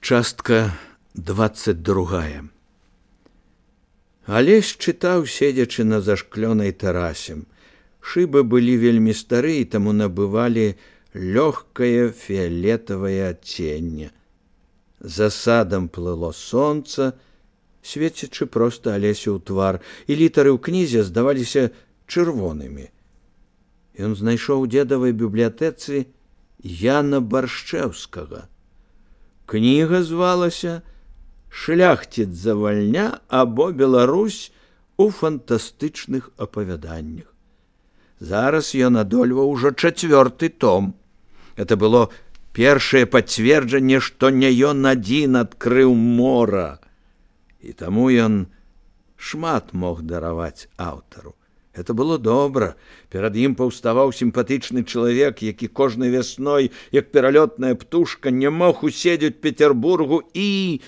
Частка 22. Алесь чытаў, седзячы на зашклёнай тэрасе. Шыбы былі вельмі стары, і таму набывалі лёгкае фіялетавае адценне. За садам плыло сонца, свецячы проста Алесю ў твар, і літары ў кнізе здаваліся чырвонымі. Ён знайшоў у дзедавай бібліятэцы Яна Баршчэўскага. Кніга звалася «Шляхціц завальня або Беларусь у фантастычных апавяданнях». Зараз ён адольваў ужо 4-й том. Это было першае пацверджанне, што не ён адзін адкрыў мора. І таму ён шмат мог дараваць аўтару. Это было добра. Перад ім паўставаў сімпатычны чалавек, які кожнай вясной, як пералётная птушка, не мог уседзець Петербургу і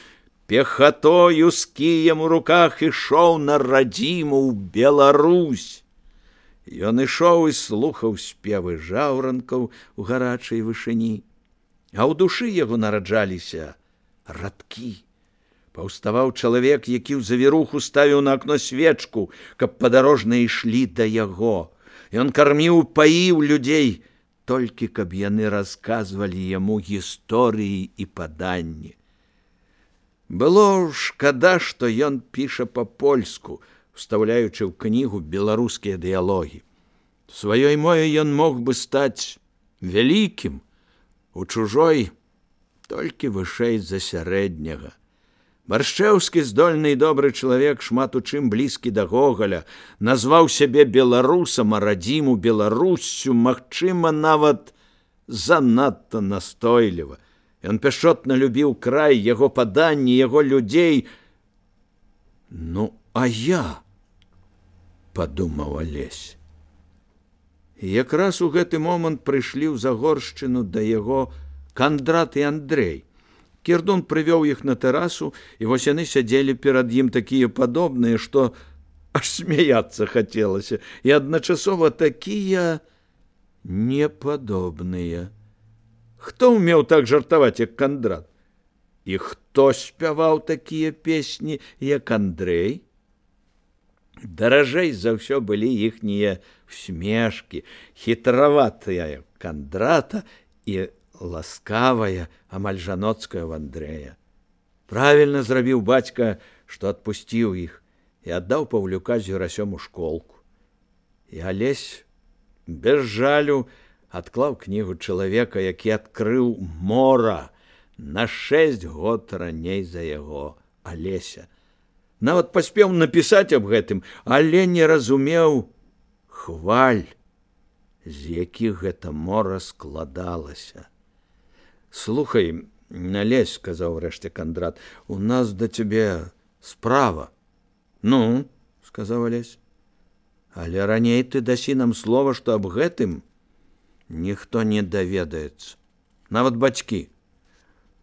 пехатою з кіем у руках ішоў на радзіму ў Беларусь. Ён ішоў і слухаў спевы жаўранкаў у гарачай вышыні, а ў душы яго нараджаліся радкі. Паўставаў чалавек, які ў завіруху ставіў на акно свечку, каб падарожныя ішлі да яго. Ён карміў, паіў людзей, толькі каб яны расказвалі яму гісторыі і паданні. Было шкада, што ён піша па-польску, устаўляючы ў кнігу беларускія дыялогі. Сваёй мове ён мог бы стаць вялікім, у чужой толькі вышэй за сярэдняга. Баршчэўскі, здольны і добры чалавек, шмат у чым блізкі да Гогаля, назваў сябе беларусам, а радзіму Беларуссю, магчыма, нават занадта настойліва. Ён пяшчотна любіў край, яго паданні, яго людзей. Ну, а я, падумаў Алесь. І якраз у гэты момант прыйшлі ў Загоршчыну да яго Кандрат і Андрэй. Кірдун прывёў іх на тэрасу, і вось яны сядзелі перад ім такія падобныя, што аж смяяцца хацелася, і адначасова такія непадобныя. Хто ўмеў так жартаваць, як Кандрат? І хто спяваў такія песні, як Андрэй? Даражэй за ўсё былі іхнія усмешкі, хітраватыя Кандрата і ласкавая, амаль жаноцкая ў Андрэя. Правільна зрабіў бацька, што адпусціў іх і аддаў Паўлюка з Юрасём у школку. І Алесь без жалю адклаў кнігу чалавека, які адкрыў мора на 6 год раней за яго, Алеся. Нават паспеў напісаць аб гэтым, але не разумеў хваль, з якіх гэта мора складалася. «Слухай, Алесь, — сказаў рэшце Кандрат, — у нас да цябе справа». «Ну, — сказаў Алесь, — але раней ты дасі нам слова, што аб гэтым ніхто не даведаецца, нават бацькі».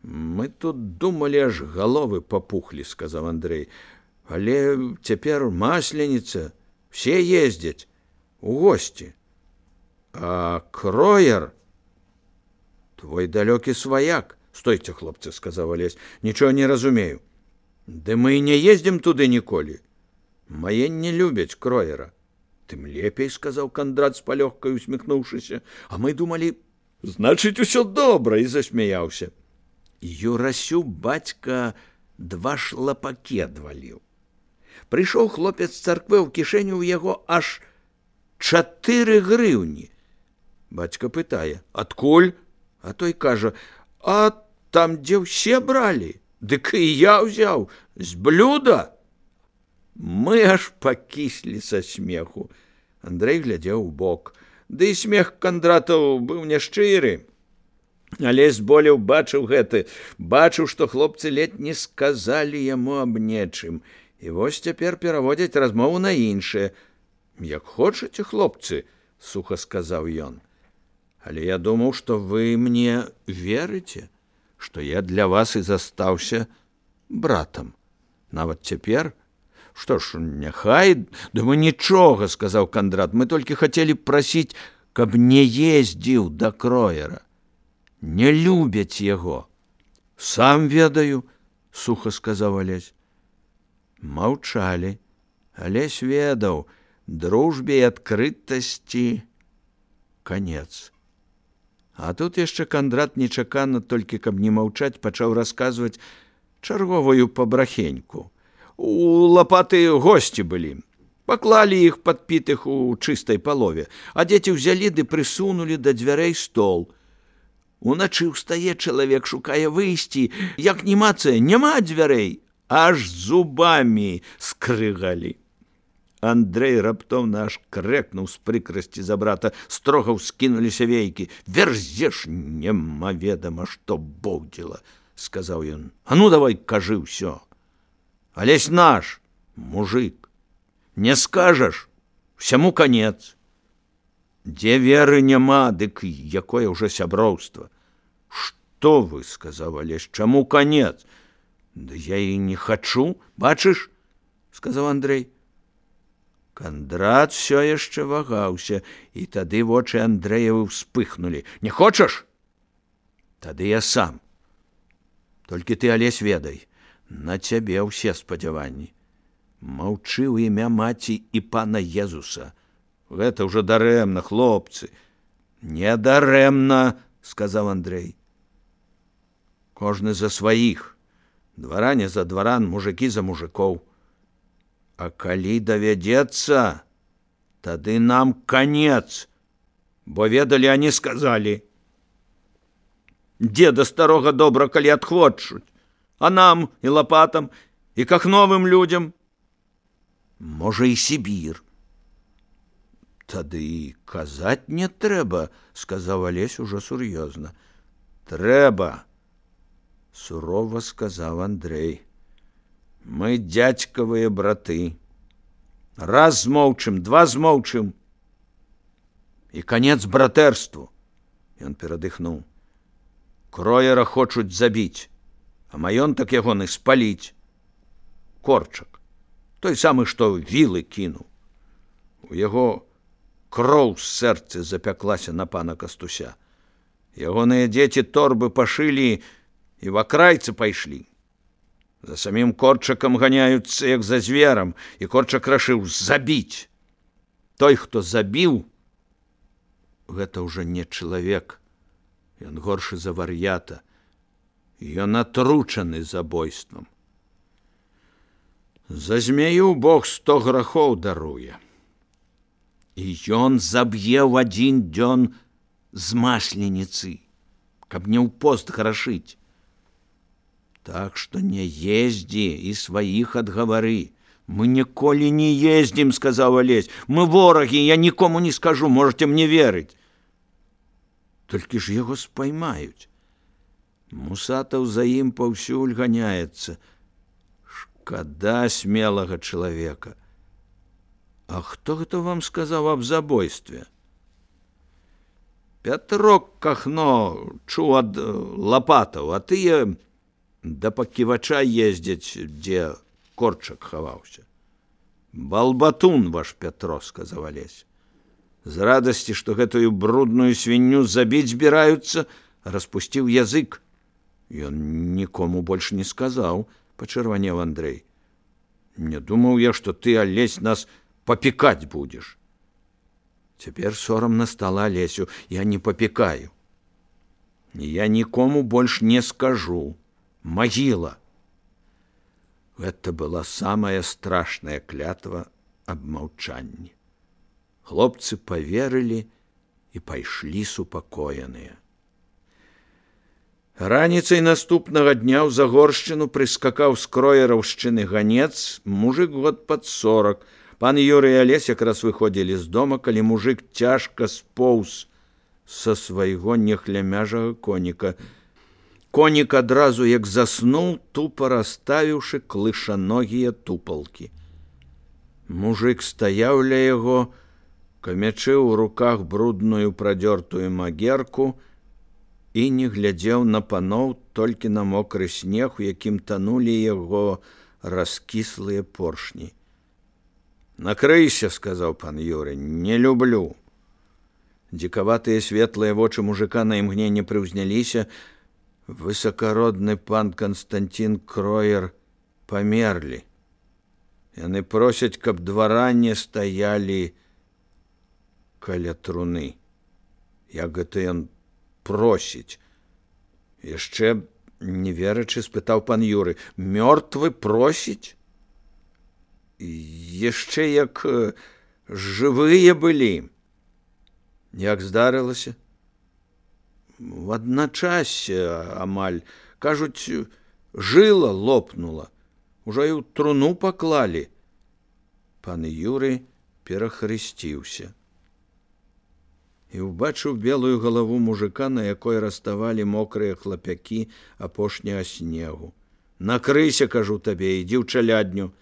«Мы тут думалі, аж галовы папухлі, — сказаў Андрэй, — але цяпер масленіца, все ездзяць у госці. А Кроер... Твой далёкі сваяк». «Стойце, хлопцы, — сказаў Алесь, — нічого не разумею. Ды мы і не ездзім туды ніколі. Мае не любяць Кроера». «Тым лепей, — сказаў Кандрат з палёгкай усміхнуўшыся, — а мы думалі, значыць, усё добра», і засмяяўся. Юрасю бацька 2 шлапакі адваліў. Прыйшоў хлопец з царквы, ў кішэню ў яго аж 4 грыўні. Бацька пытае: «Адкуль?» А той кажа: «А там, дзе ўсе бралі, дык і я ўзяў з блюда». Мы аж пакіслі са смеху. Андрэй глядзеў убок. Ды і смех Кандратаў быў няшчыры. Але зболеў бачыў гэты, бачыў, што хлопцы ледь не сказалі яму аб нечым. І вось цяпер пераводзяць размову на іншае. «Як хочаце, хлопцы, — суха сказаў ён. Але я думаў, што вы мне верыце, што я для вас і застаўся братам. Нават цяпер? Што ж, няхай, думаю, нічога, — сказаў Кандрат, — мы толькі хацелі прасіць, каб не ездзіў да Кроера. Не любяць яго». Сам ведаю, суха сказаў Алесь. Маўчалі. Алесь ведаў, дружбе і адкрытасці канец. А тут яшчэ Кандрат нечакана, толькі каб не маўчаць, пачаў расказваць чарговую пабрахеньку. У Лапаты госці былі. Паклалі іх падпітых у чыстай палове, а дзеці ўзялі ды прысунулі да дзвярэй стол. Уначы ўстае чалавек, шукае выйсці, як німацыя, няма дзвярэй, аж зубамі скрыгалі. Андрэй раптоўна аж крэкнуў з прыкрасці за брата, строга ўскінуліся вейкі. Верзеш, немаведама, што боўдзіла, сказаў ён. А ну давай кажы ўсё. Алесь наш, мужик. Не скажаш, всяму канец. Дзе веры няма, дык якое ўжо сяброўства. Што вы, сказаў Алесь, чаму канец? Да я і не хачу, бачыш, сказаў Андрэй. Кандрат все яшчэ вагаўся, і тады вочы Андрэевы ўспыхнулі. Не хочаш? Тады я сам. Толькі ты, Алесь, ведай, на цябе ўсе спадзяванні. Маўчы ў імя маці і пана Езуса. Гэта ўжо дарэмна, хлопцы. Не дарэмна, сказаў Андрэй. Кожны за сваіх. Дваране за дваран, мужыкі за мужикоў. А калі давядзецца, тады нам канец, бо ведалі, а не сказалі. Деда старога добра, калі адхвочуць, а нам і Лапатам, і кахновым людзям. Можа, і Сібір. Тады і казаць не трэба, сказаў Алесь ужо сур'ёзна. Трэба, сурова сказаў Андрэй. Мы дзядзькавыя браты. Раз змоўчым, два змоўчым. І канец братэрству. Ён перадыхнуў. Кроера хочуць забіць, а маёнтак ягоны спаліць. Корчак, той самы, што вілы кінуў. У яго кроў з сэрцы запяклася на пана Кастуся. Ягоныя дзеці торбы пашылі і в акрайцы пайшлі. За самім Корчакам ганяюцца, як за зверам, і Корчак рашыў забіць. Той, хто забіў, гэта ўжо не чалавек. Ён горшы за вар'ята. Ён атручаны забойствам. За змею Бог 100 грахоў даруе. І ён заб'е ў адзін дзён з масленіцы, каб не ў пост грашыць. Так што не ездзі і сваіх адгавары. Мы ніколі не ездзім, сказаў Алесь. Мы ворагі, я нікому не скажу, можете мне верыць. Толькі ж яго спаймаюць. Мусатаў за ім паўсюль ганяецца. Шкада смелага чалавека. А хто гэта вам сказаў аб забойстве? Пятрок Кахно чуў ад Лапатаў, а тыя да паківача ездзяць, дзе Корчак хаваўся. Балбатун ваш Пятро, сказаў Алесь. З радасці, што гэтую брудную свінню забіць збіраюцца, распусціў язык. Ён нікому больш не сказаў, пачырванеў Андрэй. Не думаў я, што ты, Алесь, нас папікаць будзеш. Цяпер сорамна стала Алесю. Я не папікаю. Я нікому больш не скажу. Магіла. Гэта была самая страшная клятва аб маўчанні. Хлопцы паверылі і пайшлі супакоеныя. Раніцай наступнага дня ў Загоршчыну прыскакаў з кроераўшчыны ганец, мужик год пад 40. Пан Юрый і Алесь якраз выходзілі з дома, калі мужик цяжка споўз са свайго нехлямяжага коніка. Конік адразу, як заснуў, тупа расставіўшы клышаногія тупалкі. Мужик стаяў ля яго, камячы ў руках брудную прадзёртую магерку і не глядзеў на паноў, толькі на мокры снег, у якім танулі яго раскіслыя поршні. Накрыйся, сказаў пан Юрый, не люблю. Дзікаватыя светлыя вочы мужика на імгненне прыўзняліся. Высакародны пан Канстантин Кроер памерлі. Яны просяць, каб дваране стаялі каля труны. Як гэта ён просіць? Яшчэ не верачы спытаў пан Юры. Мёртвы просіць? Яшчэ як жывыя былі. Як здарылася? В адначасе амаль, кажуць, жыла лопнула. Ужо і ў труну паклалі. Пан Юры перахрысціўся і ўбачыў белую галаву мужика, на якой раставалі мокрыя хлапякі апошняга снегу. Накрыйся, кажу табе, ідзі ў чалядню.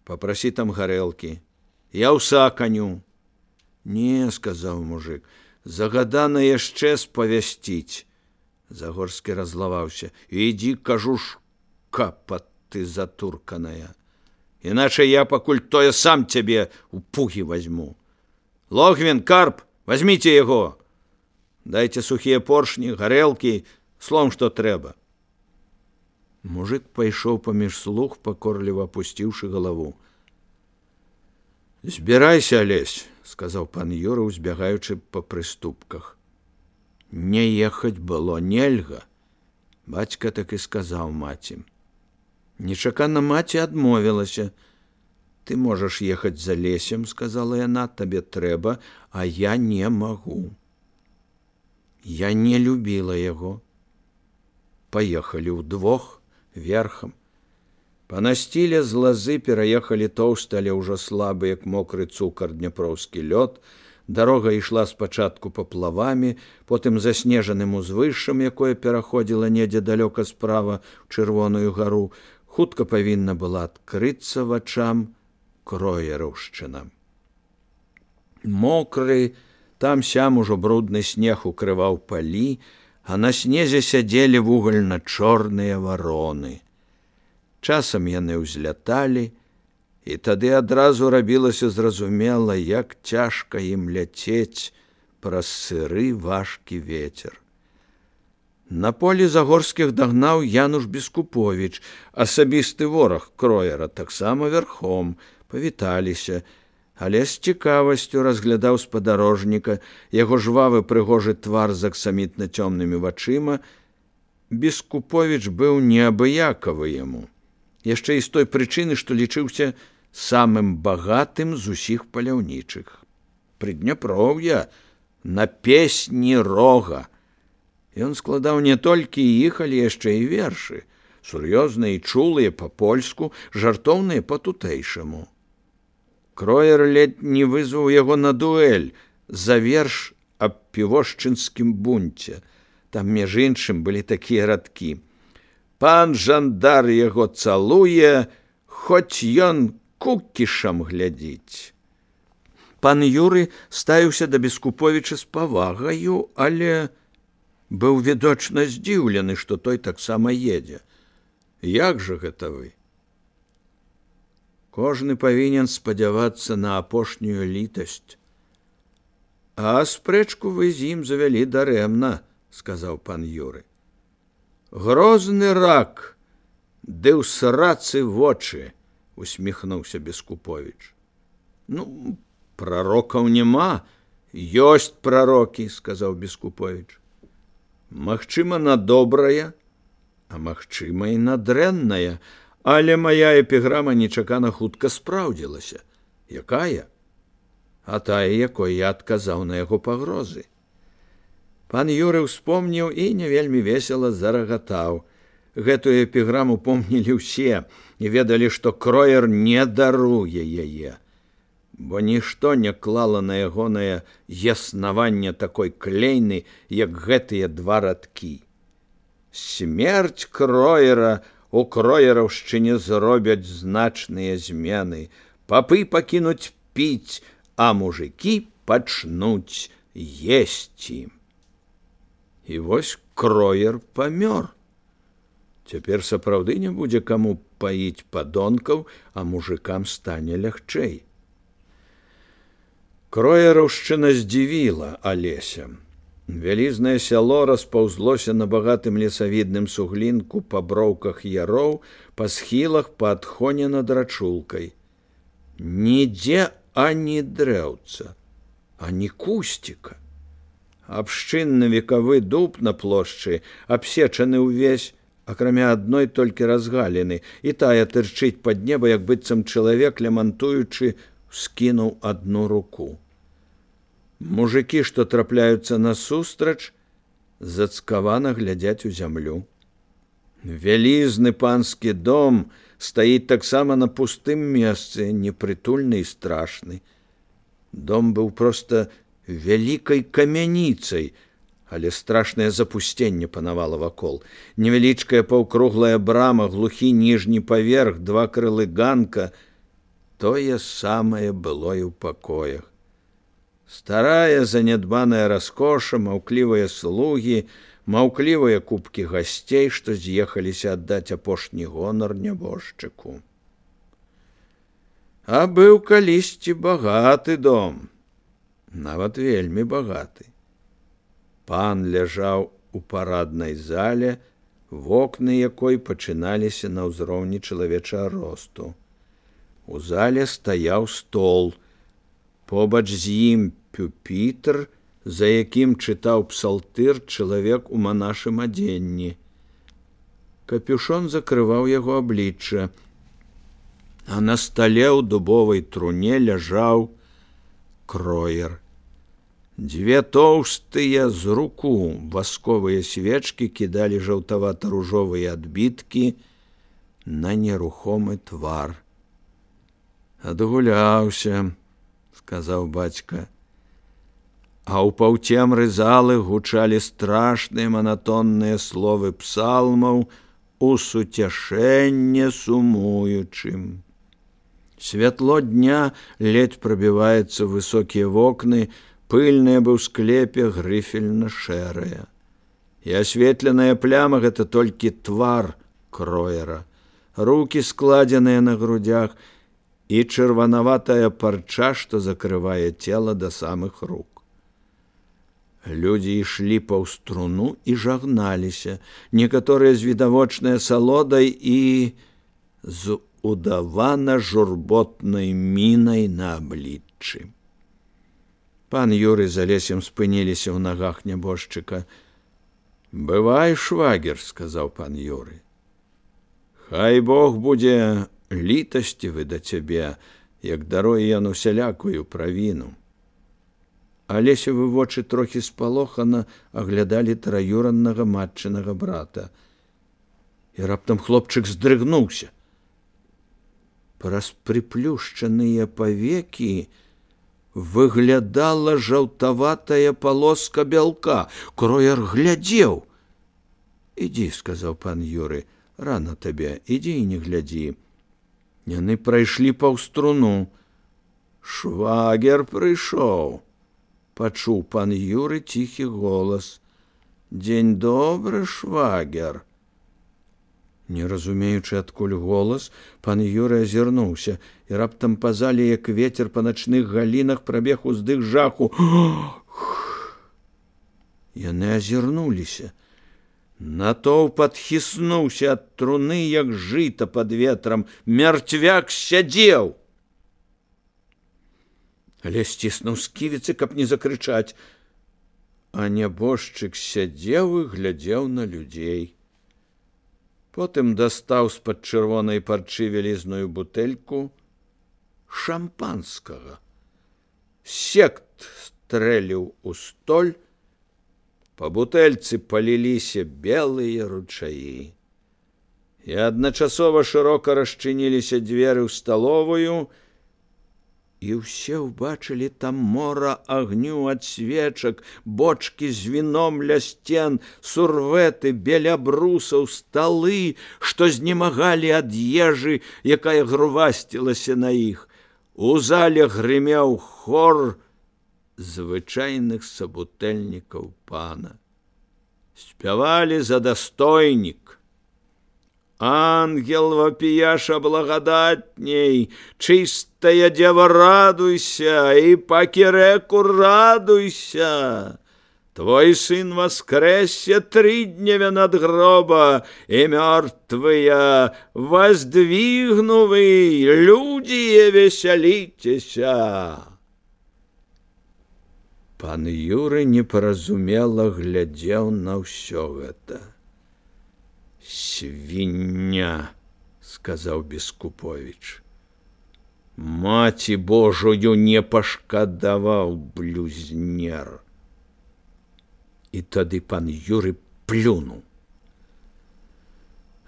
Папрасі там гарэлкі. Я ўса каню. Не, сказаў мужик, загадана яшчэ спавясціць. Загорскі разлаваўся. Ідзі, кажу, шкапа ты затурканая. Іначай я пакуль тое сам цябе у пугі возьму. Логвін, Карп, возьміце яго. Дайце сухія поршні, гарэлкі, словом, што трэба. Мужик пайшоў паміж слуг, пакорліва апусціўшы галаву. Збірайся, Алесь, сказаў пан Юра, узбягаючы па прыступках. Не ехаць было нельга. Бацька так і сказаў маці. Нечакана маці адмовілася. Ты можаш ехаць за Лесем, сказала яна, табе трэба, а я не магу. Я не любіла яго. Паехалі ўдвох, верхам. Па насціле з лазы пераехалі тоўсты, але ўжо слабы, як мокры цукар, дняпроўскі лёд. Дарога ішла спачатку паплавамі, потым заснежаным узвышшам, якое пераходзіла недзе далёка справа ў Чырвоную гару, хутка павінна была адкрыцца вачам Кроераўшчына. Мокры, там-сям ужо брудны снег укрываў палі, а на снезе сядзелі вугальна-чорныя вароны. Часам яны ўзляталі, і тады адразу рабілася зразумела, як цяжка ім ляцець праз сыры важкі вецер. На полі Загорскіх дагнаў Януш Бескуповіч, асабісты вораг Кроера, таксама верхом, павіталіся, але з цікавасцю разглядаў спадарожніка, яго жвавы прыгожы твар з аксамітна цёмнымі вачыма. Бескуповіч быў неабыякавы яму. Яшчэ і з той прычыны, што лічыўся самым багатым з усіх паляўнічых. Прыдняпроўя на песні рога. Ён складаў не толькі іх, але яшчэ і вершы, сур'ёзныя і чулыя па-польску, жартоўныя па-тутэйшаму. Кроер ледь не вызваў яго на дуэль за верш аб півошчынскім бунце. Там, між іншым, былі такія радкі. Пан жандар яго цалуе, хоць ён кукішам глядзіць. Пан Юры ставіўся да Бескуповіча з павагаю, але быў відочна здзіўлены, што той таксама едзе. Як жа гэта вы? Кожны павінен спадзявацца на апошнюю літасць. А спрэчку вы з ім завялі дарэмна, сказаў пан Юры. Грозны рак, ды ў срацы вочы, усміхнуўся Бескуповіч. Ну, прарокаў няма, ёсць прарокі, сказаў Бескуповіч. Магчыма, на добрае, а магчыма, і на дрэннае, але мая эпіграма нечакана хутка спраўдзілася. Якая? А тая, якой я адказаў на яго пагрозы. Пан Юры ўспомніў і не вельмі весела зарагатаў. Гэтую эпіграму помнілі ўсе і ведалі, што Кроер не даруе яе, бо нішто не клала на ягонае яснаванне такой клейны, як гэтыя два радкі. Смерць Кроера у Кроераўшчыне зробяць значныя змены, папы пакінуць піць, а мужыкі пачнуць есці. І вось Кроер памёр. Цяпер сапраўды не будзе каму паіць падонкаў, а мужыкам стане лягчэй. Кроераўшчына здзівіла Алеся. Вялізнае сяло распаўзлося на багатым лесавідным суглінку па броўках яроў, па схілах, па адхоне над рачулкай. Нідзе ані дрэўца, ані кусціка. Абшчынны векавы дуб на плошчы абсечаны ўвесь, акрамя адной толькі разгаліны, і тая тырчыць пад неба, як быццам чалавек, лямантуючы, скінуў адну руку. Мужыкі, што трапляюцца насустрач, зацкавана глядзяць у зямлю. Вялізны панскі дом стаіць таксама на пустым месцы, непрытульны і страшны. Дом быў проста вялікай камяніцай, але страшнае запусценне панавала вакол. Невялічкая паўкруглая брама, глухі ніжні паверх, два крылы ганка — тое самае было і ў пакоях. Старая занядбаная раскоша, маўклівыя слугі, маўклівыя купкі гасцей, што з'ехаліся аддаць апошні гонар нябожчыку. А быў калісьці багаты дом, нават вельмі багаты. Пан ляжаў у параднай зале, вокны якой пачыналіся на ўзроўні чалавечага росту. У зале стаяў стол, побач з ім пюпітр, за якім чытаў псалтыр чалавек у манашым адзенні. Капюшон закрываў яго аблічча, а на стале ў дубовай труне ляжаў кроер. Дзве тоўстыя з руку васковыя свечкі кідалі жаўтавата-ружовыя адбіткі на нерухомы твар. «Адгуляўся», — сказаў бацька. А ў паўцемры залы гучалі страшныя манатонныя словы псалмаў у суцяшэнне сумуючым. Святло дня ледзь прабіваецца ў высокія вокны, пыльнае быў склепе грыфельна-шэрая. І асветленая пляма — гэта толькі твар кроера, рукі складзеныя на грудях і чырванаватая парча, што закрывае цела да самых рук. Людзі ішлі паўз труну і жагналіся, некаторыя з відавочнай асалодай і з удавана-журботнай мінай на абліччы. Пан Юрый з Алесем спыніліся ў нагах нябожчыка. «Бывай, швагер», — сказаў пан Юрый. «Хай Бог будзе літасцівы да цябе, як даруе ён усялякую правіну». Алесевы вочы трохі спалохана аглядалі траюраннага матчынага брата. І раптам хлопчык здрыгнуўся. Праз прыплюшчаныя павекі выглядала жаўтаватая палоска бялка. Кроер глядзеў. «Ідзі», — сказаў пан Юрый, — «рана табе, ідзі і не глядзі». Яны прайшлі паўз труну. «Швагер прыйшоў», — пачуў пан Юры ціхі голас. «Дзень добры, швагер». Не разумеючы, адкуль голас, пан Юры азірнуўся, і раптам па зале, як вецер па начных галінах, прабег уздых жаху. Яны азірнуліся. Натоўп адхіснуўся ад труны, як жыта пад ветрам. Мярцвяк сядзеў. Але сціснуў сківіцы, каб не закрычаць. А нябожчык сядзеў і глядзеў на людзей. Потым дастаў з-пад чырвонай парчы вялізную бутэльку шампанскага. Сект стрэліў у столь, па бутэльцы паліліся белыя ручаі. І адначасова шырока расчыніліся дзверы ў сталовую, і ўсе ўбачылі там мора агню ад свечак, бочкі з віном ля сцен, сурвэты, беля брусаў, сталы, што знемагалі ад ежы, якая грувасцілася на іх. У зале грымеў хор звычайных сабутэльнікаў пана. Спявалі за дастойнік. Ангел вопияша благодатней, чистая дева радуйся, и по киреку радуйся. Твой сын воскресе 3 дня над гроба, и мертвые воздвигнувы, люди веселитеся. Пан Юры непаразумела глядзеў на ўсё гэта. «Свіння», — сказаў Бескупович. «Маці Божую не пашкадаваў, блюзнер». І тады пан Юры плюнуў.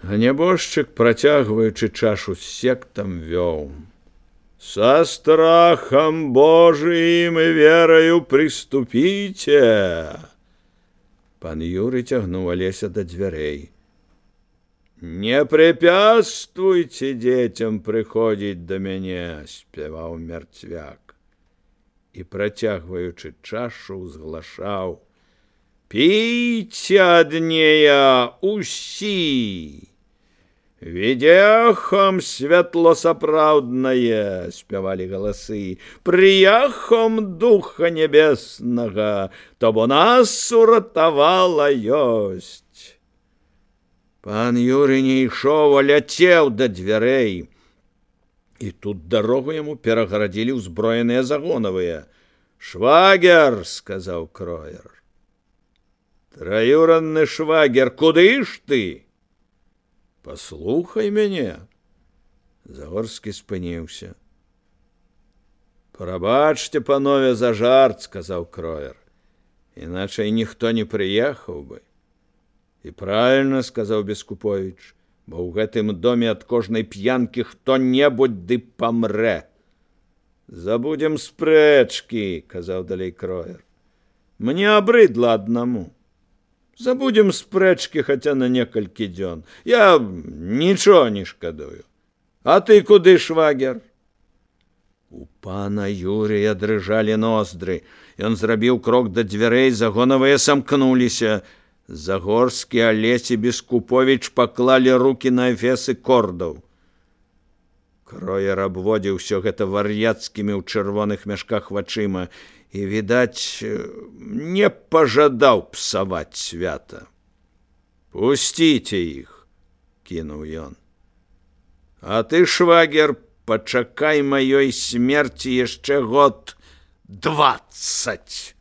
А нябожчык, працягваючы чашу з сектам, вёў: «Со страхом Божиим и верою приступите». Пан Юры тягнуў Алеся до дзвярэй. «Не препятствуйте детям приходить до мяне», — спяваў мярцвяк. І, працягваючы чашу, узглашаў: «Пейте однея усі! Ведехом святлосапраўднае», — спявалі галасы, «прияхом Духа Небеснага, то бо нас уратавала ёсць». Пан Юры не ішоў, а ляцеў да дзвярэй. І тут дарогу яму перагарадзілі ўзброеныя загонавыя. «Швагер», — сказаў Кроер. «Троюранны швагер, куды ж ты?» «Паслухай мяне». Загорскі спыніўся. «Прабачце, панове, за жарт», — сказаў Кроер. «Іначай ніхто не прыехаў бы». «І правільна», — сказаў Бескупович, «бо ў гэтым доме ад кожнай п'янкі хто-небудзь ды памрэ». «Забудем спрэчкі», — казаў далей Кроер. «Мне абрыдла аднаму. Забудем спрэчкі хаця на некалькі дзён. Я нічого не шкадую. А ты куды, швагер?» У пана Юрыя дрыжалі ноздры. Ён зрабіў крок да дзвярэй, загонавыя самкнуліся. Загорскі, Алесь і Бескупович паклалі рукі на эфесы кордаў. Кроер абводзіў усё гэта вар'яцкімі ў чырвоных мяшках вачыма і, відаць, не пажадаў псаваць свята. «Пусціце іх», — кінуў ён. «А ты, швагер, пачакай маёй смерці яшчэ год 20».